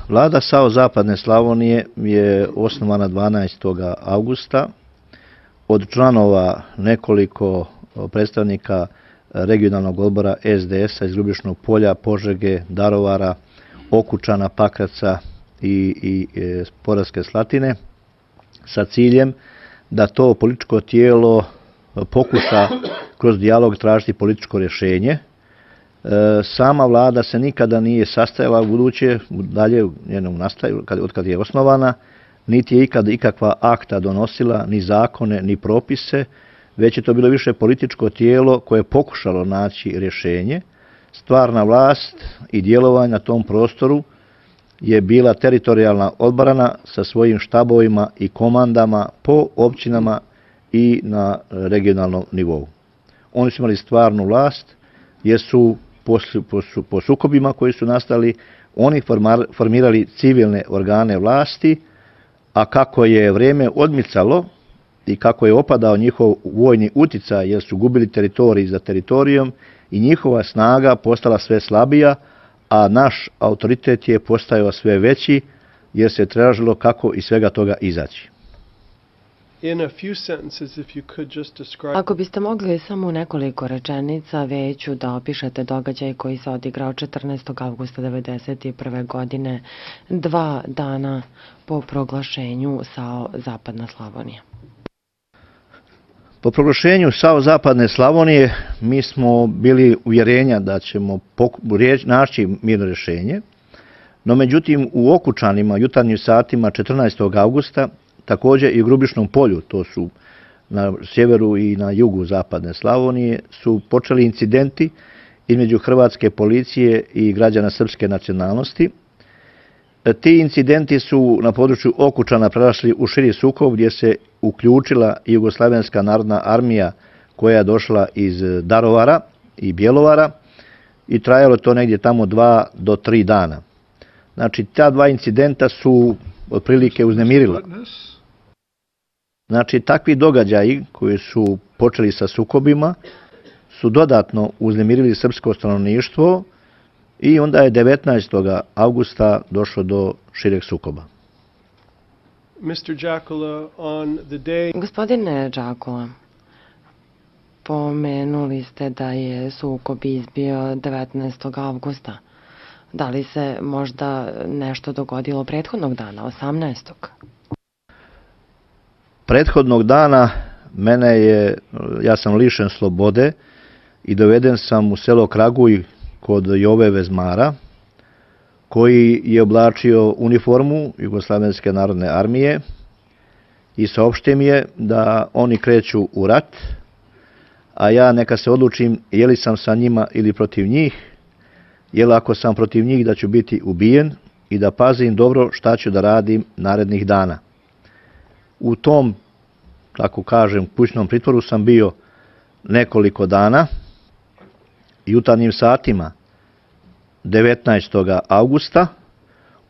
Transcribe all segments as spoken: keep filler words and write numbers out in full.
Vlada S A O Zapadne Slavonije je osnovana dvanaestog augusta od članova nekoliko predstavnika regionalnog odbora S D S-a iz Grubišnog Polja, Požege, Darovara, Okučana, Pakraca i, i Podravske Slatine sa ciljem da to političko tijelo pokuša kroz dijalog tražiti političko rješenje. Sama vlada se nikada nije sastajala u buduće, dalje u njenom nastaju, od kad je osnovana, niti je ikada ikakva akta donosila, ni zakone, ni propise, već je to bilo više političko tijelo koje je pokušalo naći rješenje. Stvarna vlast i djelovanje na tom prostoru je bila teritorijalna odbrana sa svojim štabovima i komandama po općinama i na regionalnom nivou. Oni su imali stvarnu vlast jer su po, po, po sukobima koji su nastali oni formirali civilne organe vlasti, a kako je vrijeme odmicalo i kako je opadao njihov vojni uticaj jer su gubili teritorij za teritorijom i njihova snaga postala sve slabija, a naš autoritet je postajao sve veći jer se tražilo kako iz svega toga izaći. Ako biste mogli samo u nekoliko rečenica veću da opišete događaj koji se odigrao četrnaestog avgusta devedeset prve. godine, dva dana po proglašenju S A O Zapadna Slavonija. Po proglašenju S A O Zapadne Slavonije mi smo bili uvjerenja da ćemo naći mirno rješenje, no međutim u Okučanima jutarnjim satima četrnaestog augusta, također i u Grubišnom Polju, to su na sjeveru i na jugu Zapadne Slavonije, su počeli incidenti između hrvatske policije i građana srpske nacionalnosti. Ti incidenti su na području Okučana prerasli u širi sukob gdje se uključila Jugoslavenska narodna armija koja je došla iz Darovara i Bjelovara i trajalo to negdje tamo dva do tri dana. Znači, ta dva incidenta su otprilike uznemirila. Znači, takvi događaji koji su počeli sa sukobima su dodatno uznemirili srpsko stanovništvo i onda je devetnaestog augusta došlo do šireg sukoba. Gospodine Đakula, pomenuli ste da je sukob izbio devetnaestog avgusta. Da li se možda nešto dogodilo prethodnog dana, osamnaestog? Prethodnog dana mene je, ja sam lišen slobode i doveden sam u selo Kraguj kod Jove Vezmara, koji je oblačio uniformu Jugoslavenske narodne armije i saopštio mi je da oni kreću u rat, a ja neka se odlučim je li sam sa njima ili protiv njih, jer ako sam protiv njih da ću biti ubijen i da pazim dobro šta ću da radim narednih dana. U tom, tako kažem, kućnom pritvoru sam bio nekoliko dana. Jutarnjim satima devetnaestog augusta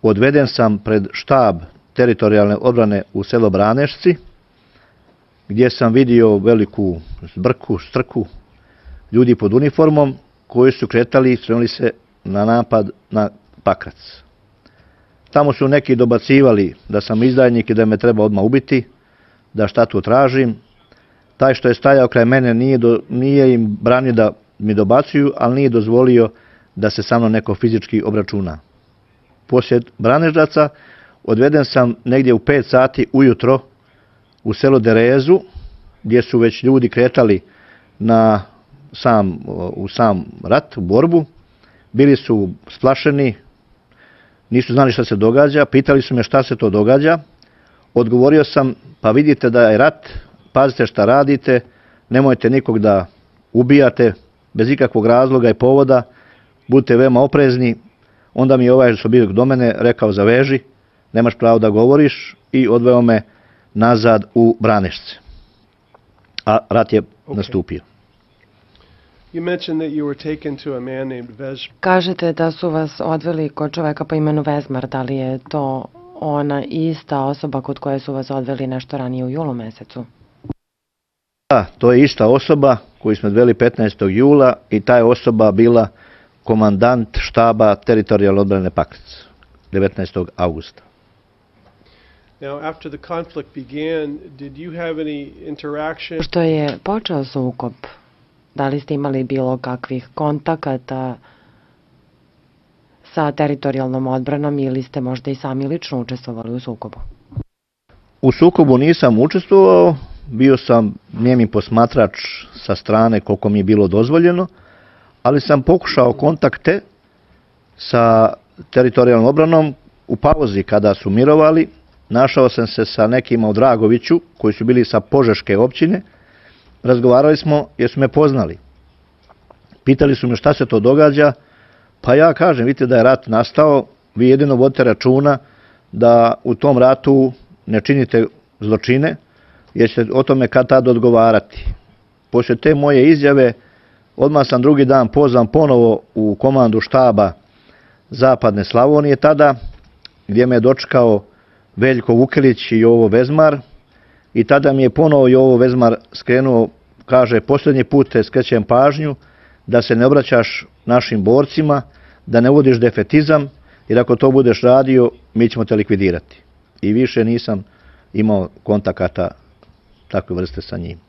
odveden sam pred štab teritorijalne odbrane u selo Branešci, gdje sam vidio veliku zbrku, strku ljudi pod uniformom koji su kretali i spremili se na napad na Pakrac. Tamo su neki dobacivali da sam izdajnik i da me treba odmah ubiti, da šta tu tražim. Taj što je stajao kraj mene nije, do, nije im branio da mi dobacuju, ali nije dozvolio da se sa mnom neko fizički obračuna. Poslije Branežaca odveden sam negdje u pet sati ujutro u selo Derezu, gdje su već ljudi kretali na sam, u sam rat, u borbu. Bili su splašeni, nisu znali šta se događa, pitali su me šta se to događa. Odgovorio sam, pa vidite da je rat, pazite šta radite, nemojte nikog da ubijate bez ikakvog razloga i povoda, budite veoma oprezni. Onda mi je ovaj što bio do mene rekao zaveži, nemaš pravo da govoriš i odveo me nazad u Branešce. A rat je okay. nastupio. Kažete da su vas odveli kod čoveka po imenu Vezmar, da li je to ona ista osoba kod koje su vas odveli nešto ranije u julu mesecu? Da, to je ista osoba koju smo odveli petnaestog jula i ta je osoba bila komandant štaba teritorijalne odbrane Pakrac. devetnaestog avgusta. Now, after the conflict began, did you have any interaction? Što je počeo sukob, da li ste imali bilo kakvih kontakata sa teritorijalnom odbranom ili ste možda i sami lično učestvovali u sukobu? U sukobu nisam učestvovao, bio sam nijemi posmatrač sa strane koliko mi je bilo dozvoljeno, ali sam pokušao kontakte sa teritorijalnom obranom u pauzi kada su mirovali. Našao sam se sa nekima u Dragoviću koji su bili sa Požeške općine. Razgovarali smo jer su me poznali. Pitali su me šta se to događa, pa ja kažem, vidite da je rat nastao, vi jedino vodite računa da u tom ratu ne činite zločine, jer ćete o tome kad tad odgovarati. Poslije te moje izjave, odmah sam drugi dan pozvan ponovo u komandu štaba Zapadne Slavonije tada, gdje me je dočekao Veljko Vukelić i Jovo Vezmar, i tada mi je ponovo Jovo Vezmar skrenuo, kaže, posljednji put te skrećem pažnju da se ne obraćaš našim borcima, da ne uvodiš defetizam, jer ako to budeš radio, mi ćemo te likvidirati. I više nisam imao kontakata takve vrste sa njim.